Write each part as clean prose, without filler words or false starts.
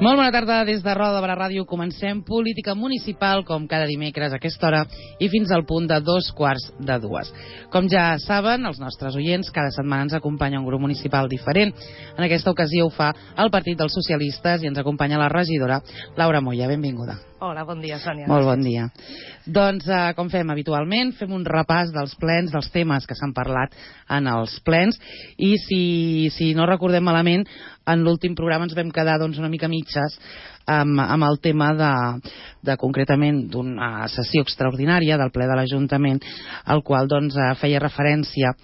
Molt bona tarda des de Roda de Barà Ràdio. Comencem política municipal com cada dimecres a aquesta hora i fins al punt de 2:45. Com ja saben, els nostres oients, cada setmana ens acompanya un grup municipal diferent. En aquesta ocasió ho fa el Partit dels Socialistes i ens acompanya la regidora Laura Moya. Benvinguda. Hola, bon dia, Sònia. Molt bon dia. Doncs, com fem habitualment, fem un repàs dels plens, dels temes que s'han parlat en els plens, i si no recordem malament, en l'últim programa ens vam quedar una mica mitges amb el tema concretament d'una sessió extraordinària del ple de l'Ajuntament, al qual feia referència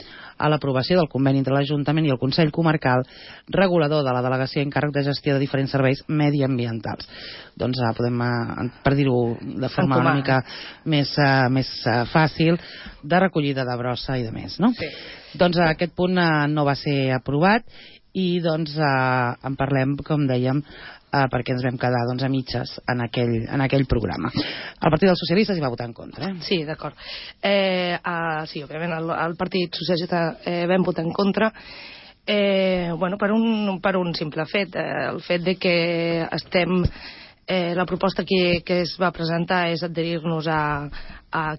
a l'aprovació del conveni entre l'Ajuntament i el Consell Comarcal regulador de la delegació en càrrec de gestió de diferents serveis mediambientals. Podem, per dir-ho de forma una mica més fàcil, de recollida de brossa i de més, no? Sí. Aquest punt no va ser aprovat i en parlem, com dèiem, perquè ens vam quedar a mitges en aquell programa. El Partit dels Socialistes hi va votar en contra. Sí, d'acord. Sí, òbviament el Partit Socialista vam votar en contra per un simple fet, el fet de que la proposta que es va presentar és adherir-nos a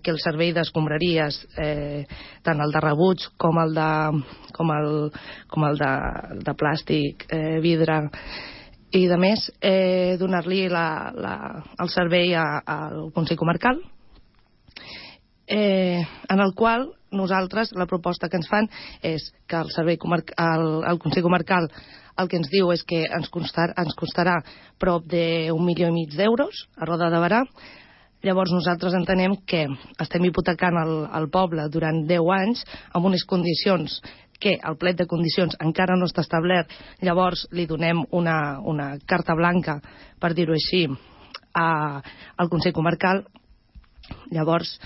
que el servei d'escombraries, tant el de rebuig com el de plàstic, vidre i de més, donar-li el servei al Consell Comarcal, en el qual nosaltres, la proposta que ens fan és que el Consell Comarcal el que ens diu és que ens costarà prop d'1,5 milió d'euros a Roda de Barà. Llavors nosaltres entenem que estem hipotecant el poble durant 10 anys amb unes condicions que el plet de condicions encara no està establert. Llavors li donem una carta blanca, per dir-ho així, al Consell Comarcal. Llavors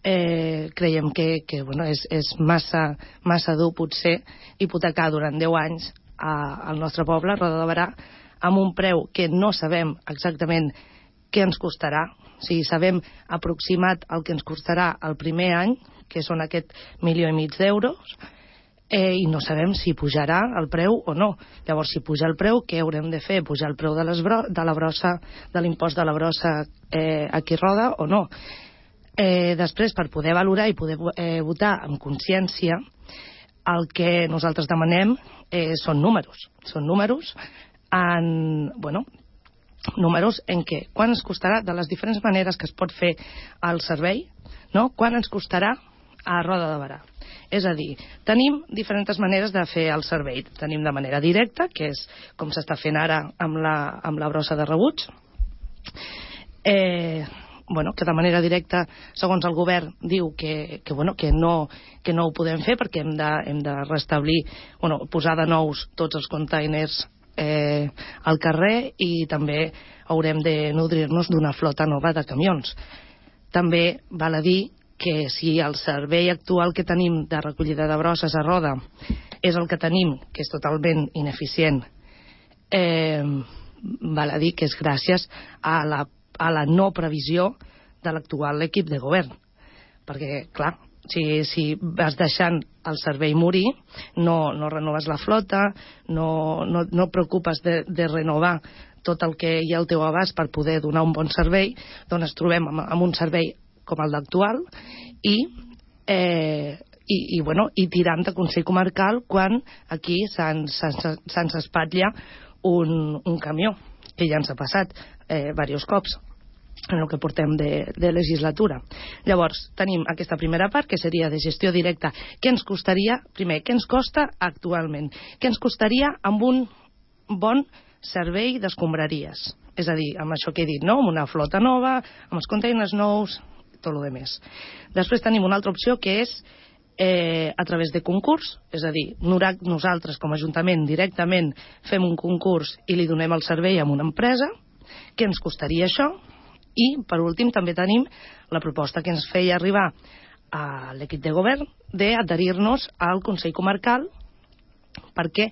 creiem que és massa dur potser hipotecar durant 10 anys al nostre poble, Roda de Barà, amb un preu que no sabem exactament què ens costarà. O sigui, sabem aproximat el que ens costarà el primer any, que són aquest 1,5 milió d'euros, i no sabem si pujarà el preu o no. Llavors, si puja el preu, què haurem de fer? Pujar el preu de la brossa, de l'impost de la brossa aquí a Roda o no? Després, per poder valorar i poder votar amb consciència, el que nosaltres demanem són números. Són números números en què quan ens costarà, de les diferents maneres que es pot fer el servei, no? Quan ens costarà a Roda de Barà. És a dir, tenim diferents maneres de fer el servei. Tenim de manera directa, que és com s'està fent ara amb la brossa de rebuig, que de manera directa, segons el govern, diu que no ho podem fer perquè hem de restablir, posar de nous tots els containers al carrer, i també haurem de nodrir-nos d'una flota nova de camions. També val a dir que si el servei actual que tenim de recollida de brosses a Roda és el que tenim, que és totalment ineficient, val a dir que és gràcies a la no previsió de l'actual equip de govern. Perquè, clar, si vas deixant el servei morir, no renoves la flota, no preocupes de renovar tot el que hi ha al teu abast per poder donar un bon servei, doncs ens trobem amb un servei com el d'actual i tirant de Consell Comarcal quan aquí se'ns espatlla un camió, que ja ens ha passat diversos cops en el que portem de legislatura. Llavors, tenim aquesta primera part, que seria de gestió directa. Què ens costaria? Primer, què ens costa actualment? Què ens costaria amb un bon servei d'escombraries? És a dir, amb això que he dit, no? Amb una flota nova, amb els containers nous, tot el més. Després tenim una altra opció, que és a través de concurs, és a dir, nosaltres com a Ajuntament directament fem un concurs i li donem el servei a una empresa. Què ens costaria això? I, per últim, també tenim la proposta que ens feia arribar a l'equip de govern d'adherir-nos al Consell Comarcal perquè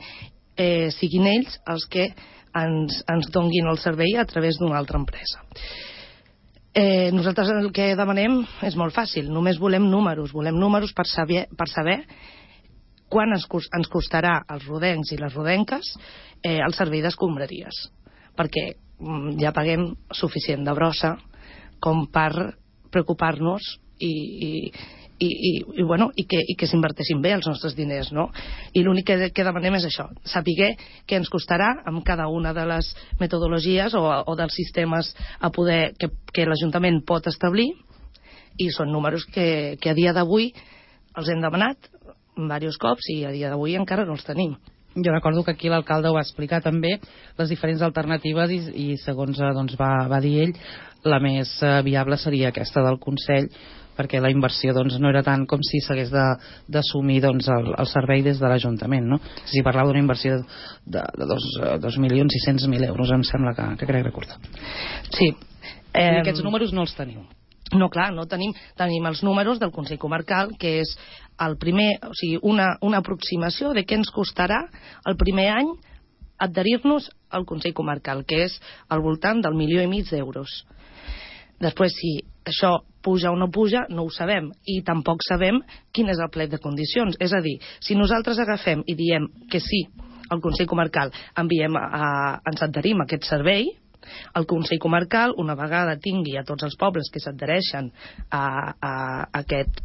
siguin ells els que ens donguin el servei a través d'una altra empresa. Nosaltres el que demanem és molt fàcil, només volem números per saber quan ens costarà als rodencs i les rodenques el servei d'escombraries. perquè ja paguem suficient de brossa com per preocupar-nos i que s'inverteixin bé els nostres diners, no? I l'únic que demanem és això, saber què ens costarà amb cada una de les metodologies o dels sistemes que l'Ajuntament pot establir, i són números que a dia d'avui els hem demanat diversos cops i a dia d'avui encara no els tenim. Jo recordo que aquí l'alcalde ho va explicar també, les diferents alternatives, i segons va dir ell, la més viable seria aquesta del Consell, perquè la inversió no era tant com si s'hagués d'assumir el servei des de l'Ajuntament, no? Si parlava d'una inversió de 2.600.000 euros, em sembla que crec recordar. Sí. I aquests números no els teniu? No, clar, no tenim els números del Consell Comarcal, que és el primer, o sigui, una aproximació de què ens costarà el primer any adherir-nos al Consell Comarcal, que és al voltant del 1,5 milió d'euros. Després, si això puja o no puja, no ho sabem, i tampoc sabem quin és el plec de condicions. És a dir, si nosaltres agafem i diem que sí al Consell Comarcal, ens adherim a aquest servei, el Consell Comarcal, una vegada tingui a tots els pobles que s'adhereixen a aquest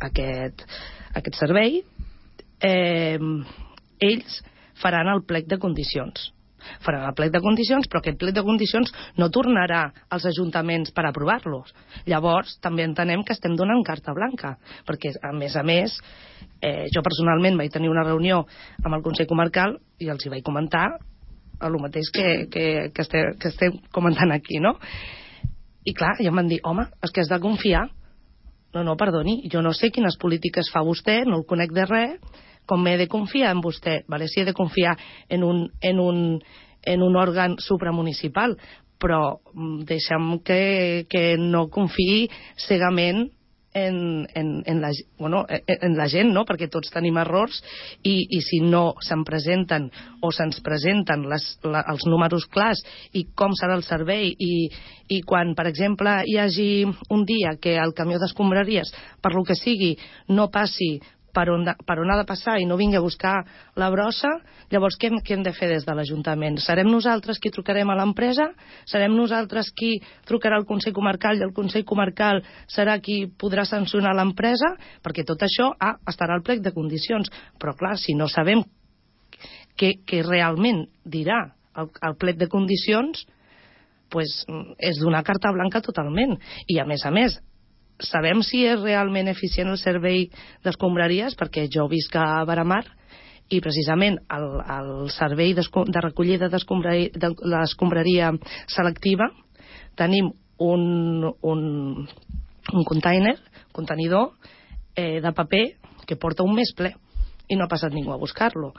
servei, ells faran el plec de condicions. Faran el plec de condicions, però aquest plec de condicions no tornarà als ajuntaments per aprovar-los. Llavors, també entenem que estem donant carta blanca, perquè, a més, jo personalment vaig tenir una reunió amb el Consell Comarcal i els hi vaig comentar el mateix que estem comentant aquí, no? I clar, ja em van dir, home, és que has de confiar. No, perdoni, jo no sé quines polítiques fa vostè, no el conec de res, com m'he de confiar en vostè? Vale, si he de confiar en un òrgan supramunicipal, però deixa'm que no confiï cegament en la gent, no? Perquè tots tenim errors i si no se'n presenten o se'ns presenten els números clars i com serà el servei i quan, per exemple, hi hagi un dia que el camió d'escombraries, per lo que sigui, no passi per on ha de passar i no vingui a buscar la brossa, llavors què hem de fer des de l'Ajuntament? Serem nosaltres qui trucarem a l'empresa? Serem nosaltres qui trucarà al Consell Comarcal i el Consell Comarcal serà qui podrà sancionar l'empresa? Perquè tot això estarà al plec de condicions. Però clar, si no sabem què realment dirà el plec de condicions, pues, és donar carta blanca totalment. I a més, sabem si és realment eficient el servei d'escombraries, perquè jo visc a Baramar i precisament el servei de recollida de l'escombraria selectiva tenim un contenidor de paper que porta un mes ple i no ha passat ningú a buscar-lo.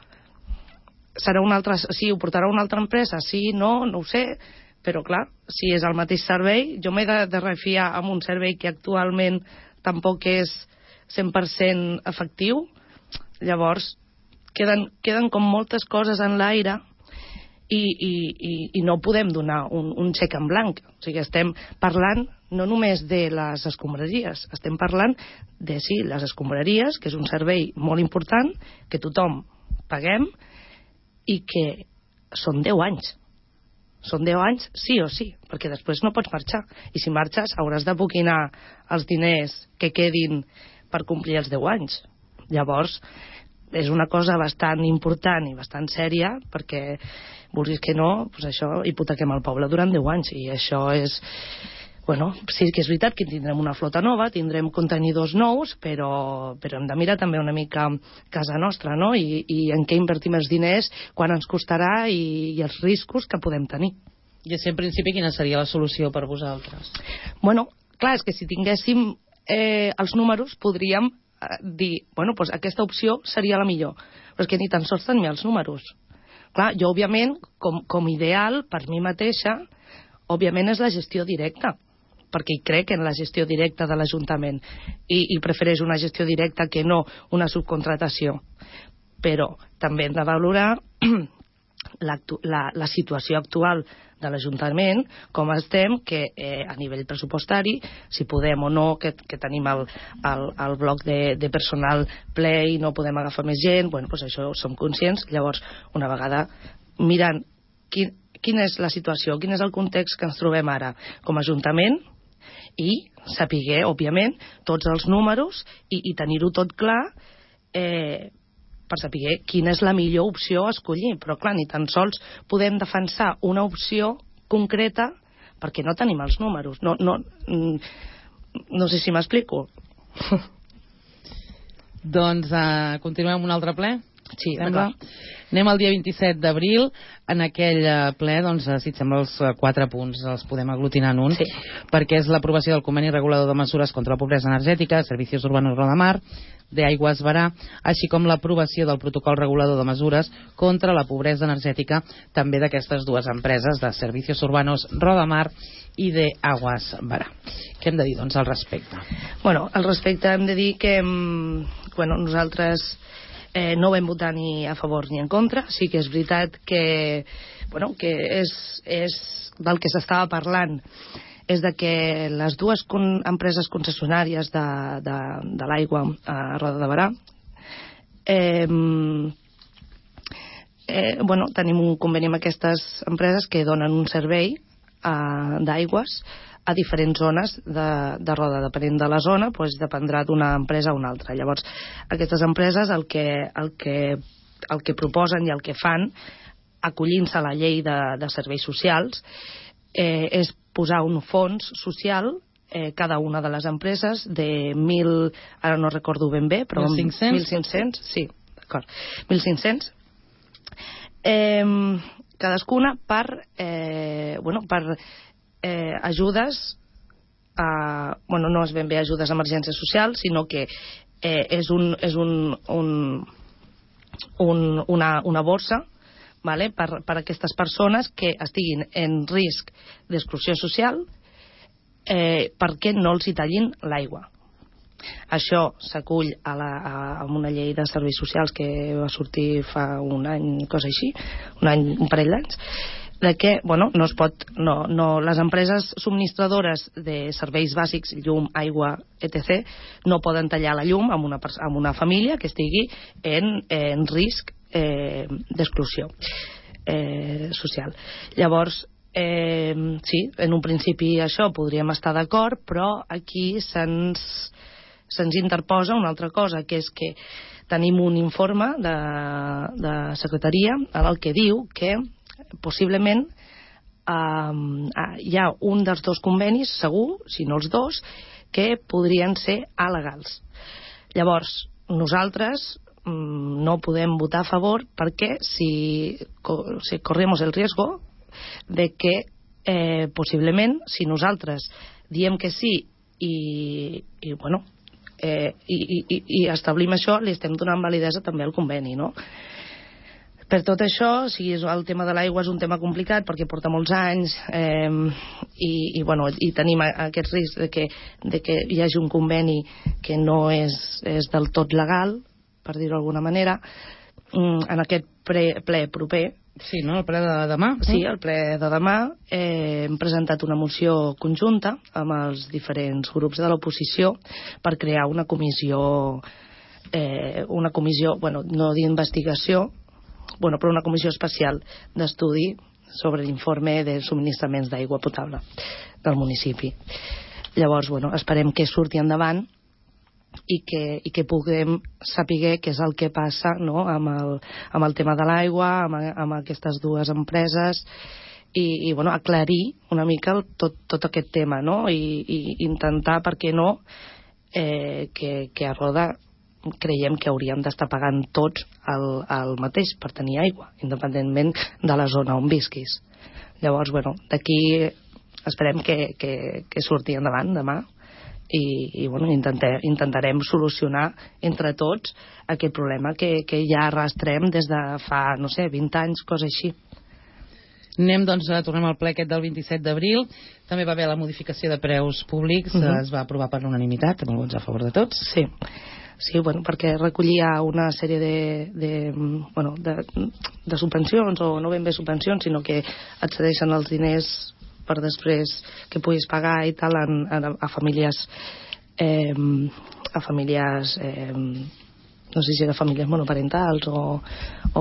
Sí, ho portarà una altra empresa? Sí, no ho sé. Però, clar, si és el mateix servei, jo m'he de refiar amb un servei que actualment tampoc és 100% efectiu. Llavors, queden com moltes coses en l'aire i no podem donar un xec en blanc. O sigui, estem parlant no només de les escombraries, estem parlant de, sí, les escombraries, que és un servei molt important, que tothom paguem i que són 10 anys. Són 10 anys sí o sí, perquè després no pots marxar. I si marxes hauràs de boquinar els diners que quedin per complir els 10 anys. Llavors, és una cosa bastant important i bastant sèria, perquè, vulguis que no, doncs això, hipotequem el poble durant 10 anys. I això és... Bueno, sí que és veritat que tindrem una flota nova, tindrem contenidors nous, però hem de mirar també una mica casa nostra, no? I en què invertim els diners, quan ens costarà i els riscos que podem tenir. I en principi quina seria la solució per vosaltres? Bueno, clar, és que si tinguéssim els números podríem dir, bueno, doncs aquesta opció seria la millor, però és que ni tan sols tenim els números. Clar, jo, òbviament, com ideal, per mi mateixa, òbviament és la gestió directa, perquè hi crec en la gestió directa de l'Ajuntament i prefereix una gestió directa que no una subcontratació. Però també hem de valorar la situació actual de l'Ajuntament, com estem, que a nivell pressupostari, si podem o no, que tenim el bloc de personal ple i no podem agafar més gent, bueno, doncs això som conscients. Llavors, una vegada mirant quina és la situació, quin és el context que ens trobem ara com a Ajuntament, i saber, òbviament, tots els números i tenir-ho tot clar per saber quina és la millor opció a escollir. Però, clar, ni tan sols podem defensar una opció concreta perquè no tenim els números. No sé si m'explico. Doncs continuem amb un altre ple? Sí, d'acord. Anem al dia 27 d'abril. En aquell ple, doncs, si et sembla, els 4 punts els podem aglutinar en un, sí, perquè és l'aprovació del conveni regulador de mesures contra la pobresa energètica, Servicios Urbanos Rodamar, de Aigües Barà, així com l'aprovació del protocol regulador de mesures contra la pobresa energètica, també d'aquestes dues empreses, de Servicios Urbanos Rodamar i de Aigües Barà. Què hem de dir, doncs, al respecte? Bueno, al respecte hem de dir que nosaltres no vam votar ni a favor ni en contra. Sí que és veritat que és del que s'estava parlant, és de que les dues empreses concessionàries de l'aigua a Roda de Barà tenim un conveni amb aquestes empreses que donen un servei d'aigües a diferents zones de Roda. Depenent de la zona, doncs dependrà d'una empresa a una altra. Llavors, aquestes empreses el que proposen i el que fan, acollint-se a la llei de serveis socials, és posar un fons social, cada una de les empreses, de 1.000, ara no recordo ben bé, però 1.500, sí, d'acord, 1.500, cadascuna per ajudes no és ben bé ajudes a emergència social, sinó que és una borsa, vale, per a aquestes persones que estiguin en risc d'exclusió social, perquè no els hi tallin l'aigua. Això s'acull a una llei de serveis socials que va sortir fa un any, cosa així, un parell d'anys, de que no es pot, les empreses subministradores de serveis bàsics, llum, aigua, etc., no poden tallar la llum amb una família que estigui en risc d'exclusió social. Llavors, sí, en un principi això podríem estar d'acord, però aquí se'ns interposa una altra cosa, que és que tenim un informe de secretaria en el que diu que possiblement hi ha un dels dos convenis, segur, si no els dos, que podrien ser alegals. Llavors, nosaltres no podem votar a favor perquè si corremos el riesgo de que possiblement, si nosaltres diem que sí i establim això, li estem donant validesa també al conveni, no? Per tot això, el tema de l'aigua és un tema complicat perquè porta molts anys i tenim aquest risc de que hi hagi un conveni que no és del tot legal, per dir-ho d'alguna manera, en aquest ple proper. Sí, no? El ple de demà? Sí, el ple de demà hem presentat una moció conjunta amb els diferents grups de l'oposició per crear una comissió, no d'investigació, però una comissió especial d'estudi sobre l'informe de subministraments d'aigua potable del municipi. Llavors, esperem que surti endavant i que puguem saber què és el que passa, no?, amb el tema de l'aigua, amb aquestes dues empreses i aclarir una mica tot aquest tema, no?, i intentar, per què no, que a Roda creiem que hauríem d'estar pagant tots el mateix per tenir aigua, independentment de la zona on visquis. Llavors, d'aquí esperem que surti endavant demà i intentarem solucionar entre tots aquest problema que ja arrastrem des de fa, 20 anys, cosa així. Tornem al ple aquest del 27 d'abril. També va haver la modificació de preus públics, es va aprovar per unanimitat, amb vots a favor de tots. Sí, perquè recollia una sèrie de subvencions, o no ben bé subvencions, sinó que et cedeixen els diners per després que puguis pagar i tal a famílies no sé si de famílies monoparentals o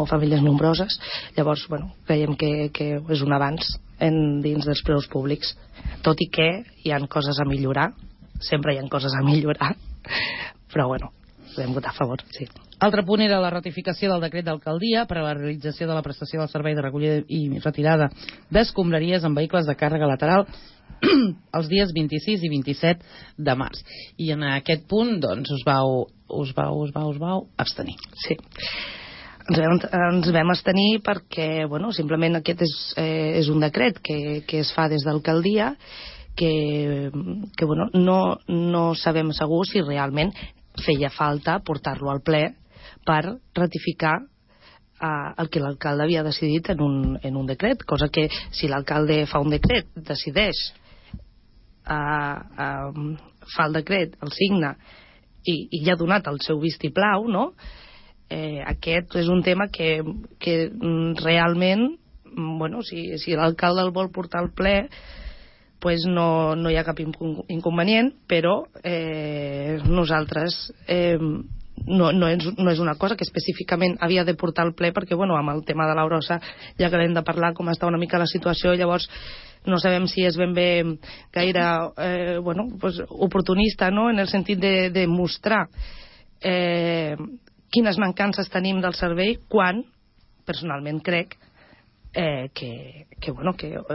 famílies nombroses. Llavors, creiem que és un avanç dins dels preus públics, tot i que hi ha coses a millorar, sempre hi ha coses a millorar, però podem votar a favor, sí. Altre punt era la ratificació del decret d'alcaldia per a la realització de la prestació del servei de recollida i retirada d'escombraries en vehicles de càrrega lateral els dies 26 i 27 de març. I en aquest punt, doncs, us vau abstenir. Sí. Ens vam abstenir perquè, simplement aquest és un decret que es fa des d'alcaldia que no sabem segur si realment feia falta portar-lo al ple per ratificar el que l'alcalde havia decidit en un decret, cosa que si l'alcalde fa un decret, decideix fa el decret, el signa i ja ha donat el seu vistiplau, no? Aquest és un tema que realment si l'alcalde el vol portar al ple pues no hi ha cap inconvenient, però nosaltres no és una cosa que específicament havia de portar al ple perquè amb el tema de la brossa ja que l'hem de parlar com està una mica la situació, llavors no sabem si és ben bé gaire oportunista, no? En el sentit de mostrar quines mancances tenim del servei quan personalment crec que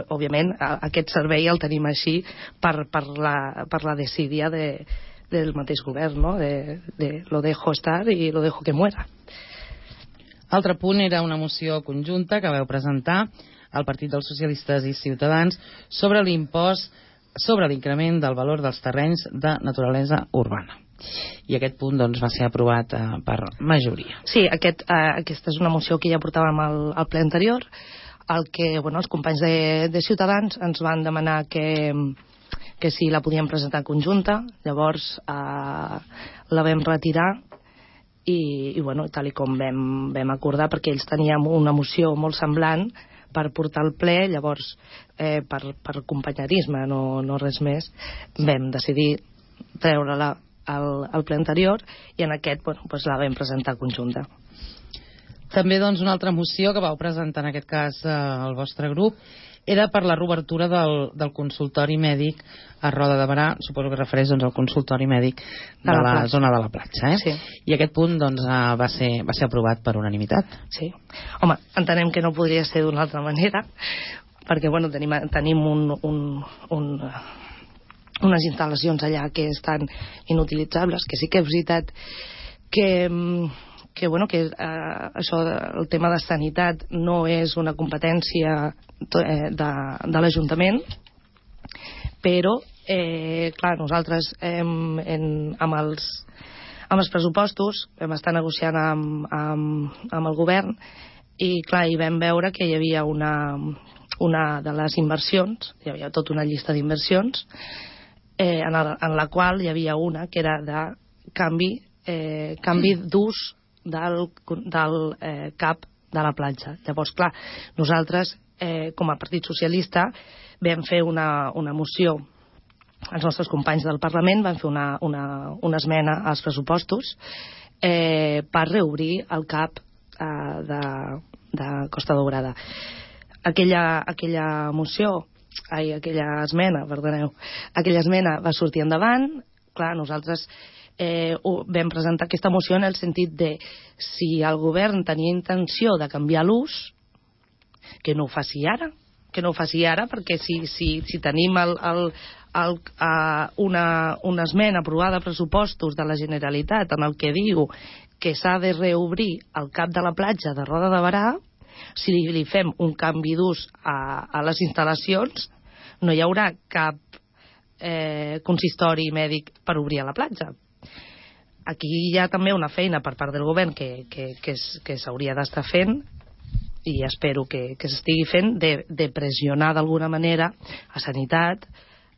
òbviament aquest servei el tenim així per la desídia del mateix govern, no? De lo dejo estar y lo dejo que muera. Altre punt era una moció conjunta que vau presentar al Partit dels Socialistes i Ciutadans sobre l'impost sobre l'increment del valor dels terrenys de naturalesa urbana. I aquest punt doncs, va ser aprovat per majoria. Sí, aquesta és una moció que ja portàvem al ple anterior, el que els companys de Ciutadans ens van demanar que si la podíem presentar conjunta, llavors la vam retirar i tal com vam acordar, perquè ells teníem una moció molt semblant per portar al ple, llavors per companyerisme, no res més, vam decidir treure-la al ple anterior i en aquest la vam presentar conjunta. També una altra moció que vau presentar en aquest cas al vostre grup era per la reobertura del consultori mèdic a Roda de Berà, suposo que refereix al consultori mèdic de la zona de la platja, Sí. I aquest punt va ser aprovat per unanimitat. Sí. Home, entenem que no podria ser d'una altra manera, perquè tenim unes instal·lacions allà que estan inutilitzables, que sí que és veritat que això, el tema de sanitat no és una competència de l'Ajuntament, però clar, nosaltres amb els pressupostos vam estar negociant amb el govern i clar, hi vam veure que hi havia una de les inversions, hi havia tota una llista d'inversions en la qual hi havia una que era de canvi d'ús del cap de la platja. Llavors, clar, nosaltres, com a Partit Socialista, vam fer una moció, els nostres companys del Parlament van fer una esmena als pressupostos per reobrir el cap de Costa Daurada. Aquella esmena va sortir endavant. Clar, nosaltres vam presentar aquesta moció en el sentit de si el govern tenia intenció de canviar l'ús, que no ho faci ara, perquè si tenim una esmena aprovada a pressupostos de la Generalitat en el que diu que s'ha de reobrir el cap de la platja de Roda de Berà, si li fem un canvi d'ús a les instal·lacions, no hi haurà cap consistori mèdic per obrir a la platja. Aquí hi ha també una feina per part del govern que s'hauria d'estar fent i espero que s'estigui fent de pressionar d'alguna manera a Sanitat,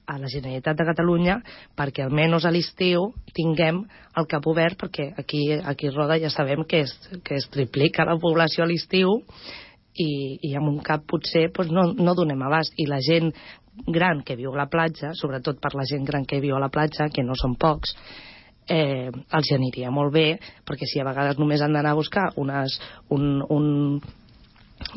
a la Generalitat de Catalunya, perquè almenys a l'estiu tinguem el cap obert, perquè aquí a Roda ja sabem que es triplica la població a l'estiu i amb un cap potser no donem abast. I la gent gran que viu a la platja, sobretot per la gent gran que viu a la platja, que no són pocs, els aniria molt bé, perquè si a vegades només han d'anar a buscar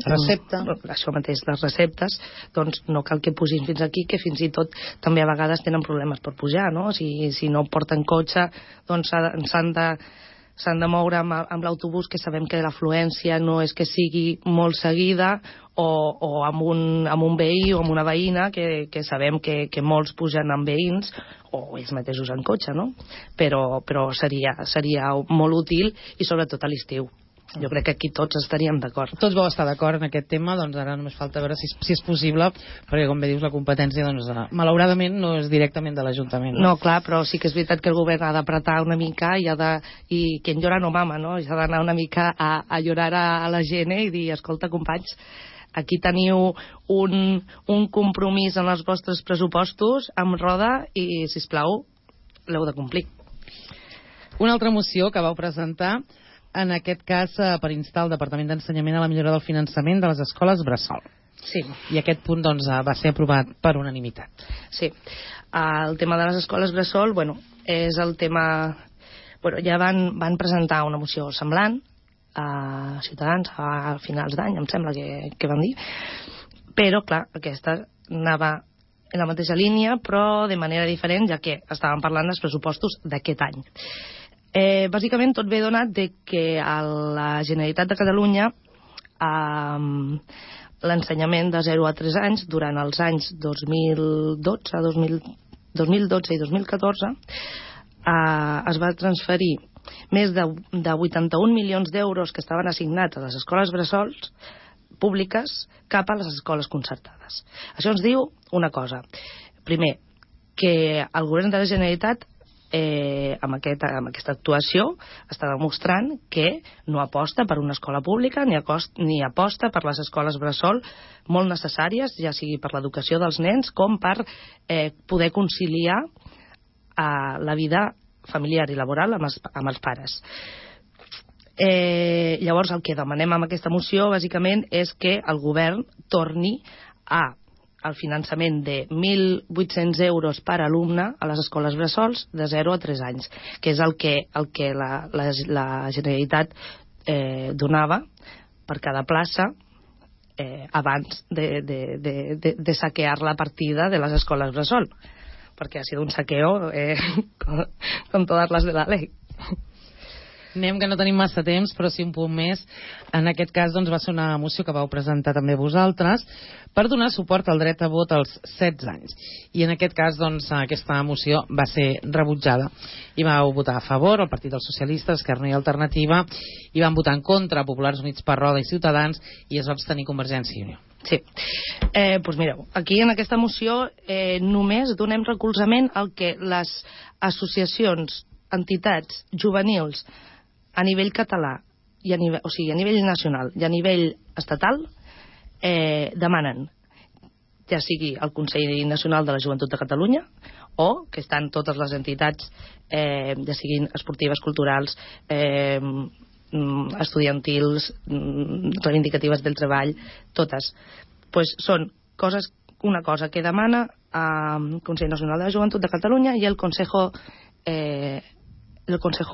recepta, això mateix, les receptes, doncs no cal que pugin fins aquí, que fins i tot també a vegades tenen problemes per pujar, no? Si no porten cotxe, doncs s'han de moure amb l'autobús, que sabem que l'afluència no és que sigui molt seguida, o amb un veí o amb una veïna, que sabem que molts pugen amb veïns, o ells mateixos en cotxe, no? Però seria molt útil, i sobretot a l'estiu. Jo crec que aquí tots estaríem d'acord. Tots vau estar d'acord en aquest tema, doncs ara només falta veure si és possible, perquè com bé dius, la competència doncs, malauradament no és directament de l'Ajuntament. No, clar, però sí que és veritat que el govern ha d'apretar una mica i quien llora no mama, no? I s'ha d'anar una mica a llorar a la gent i dir, escolta, companys, aquí teniu un compromís en els vostres pressupostos amb roda i, sisplau, l'heu de complir. Una altra moció que vau presentar, en aquest cas per instar el Departament d'Ensenyament a la millora del finançament de les escoles bressol. Sí. I aquest punt doncs, va ser aprovat per unanimitat. Sí. El tema de les escoles bressol, és el tema... ja van presentar una moció semblant a Ciutadans a finals d'any, em sembla que van dir, però, clar, aquesta anava en la mateixa línia, però de manera diferent, ja que estàvem parlant dels pressupostos d'aquest any. Bàsicament tot ve donat de que a la Generalitat de Catalunya l'ensenyament de 0 a 3 anys durant els anys 2012 i 2014 es va transferir més de 81 milions d'euros que estaven assignats a les escoles bressols públiques cap a les escoles concertades. Això ens diu una cosa. Primer, que el govern de la Generalitat amb aquesta actuació està demostrant que no aposta per una escola pública ni aposta per les escoles bressol molt necessàries, ja sigui per l'educació dels nens com per poder conciliar la vida familiar i laboral amb els pares. Llavors el que demanem amb aquesta moció bàsicament és que el govern torni al finançament de 1.800 euros per alumne a les escoles bressols de 0 a 3 anys, que és el que la Generalitat donava per cada plaça abans de saquear la partida de les escoles bressol, perquè ha sido un saqueo con todas las de la ley. Anem, que no tenim massa temps, però sí un punt més. En aquest cas doncs, va ser una moció que vau presentar també vosaltres per donar suport al dret a vot als 16 anys. I en aquest cas doncs, aquesta moció va ser rebutjada. I vau votar a favor el Partit dels Socialistes, Esquerra i Alternativa, i van votar en contra Populars Units per Roda i Ciutadans, i es va abstenir Convergència i Unió. Sí. Doncs mireu, aquí en aquesta moció només donem recolzament al que les associacions, entitats juvenils a nivell català, a nivell nacional i a nivell estatal demanen, ja sigui el Consell Nacional de la Joventut de Catalunya o que estan totes les entitats, ja siguin esportives, culturals, estudiantils, reivindicatives del treball, totes. Pues són una cosa que demana el Consell Nacional de la Joventut de Catalunya i el Consejo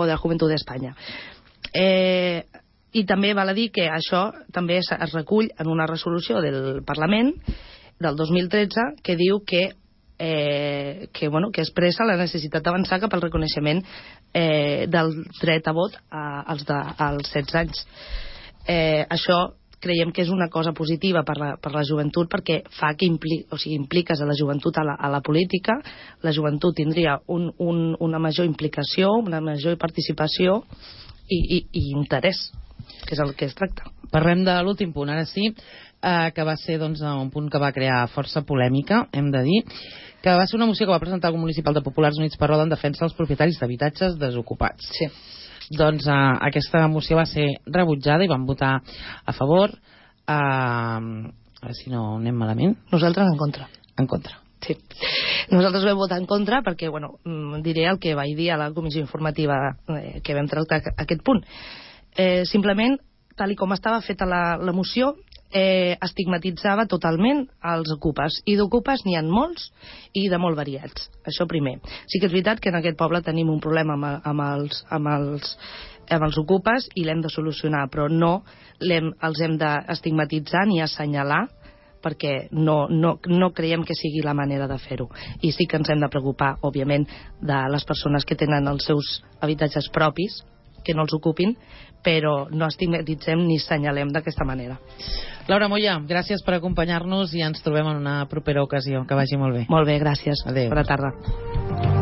de la Juventud d'Espanya. I també val a dir que això també es recull en una resolució del Parlament del 2013 que diu que expressa la necessitat d'avançar cap al reconeixement del dret a vot als 16 anys. Això creiem que és una cosa positiva per la joventut, perquè fa que impliques a la joventut a la política. La joventut tindria una major implicació, una major participació i interès, que és el que es tracta. Parlem de l'últim punt, ara sí, que va ser doncs, un punt que va crear força polèmica, hem de dir, que va ser una moció que va presentar el grup municipal de Populars Units per Roda en defensa dels propietaris d'habitatges desocupats. Sí. Doncs aquesta moció va ser rebutjada i van votar a favor. A veure si no anem malament. Nosaltres en contra. En contra. Sí. Nosaltres vam votar en contra perquè, diré el que vaig dir a la comissió informativa que vam tractar aquest punt. Simplement, tal com estava feta la moció, estigmatitzava totalment els ocupes, i d'ocupes n'hi ha molts i de molt variats, això primer. Sí que és veritat que en aquest poble tenim un problema amb els ocupes i l'hem de solucionar, però no els hem d'estigmatitzar ni assenyalar, perquè no creiem que sigui la manera de fer-ho. I sí que ens hem de preocupar, òbviament, de les persones que tenen els seus habitatges propis, que no els ocupin, però no estigmatitzem ni assenyalem d'aquesta manera. Laura Moya, gràcies per acompanyar-nos i ens trobem en una propera ocasió. Que vagi molt bé. Molt bé, gràcies. Adéu. Bona tarda.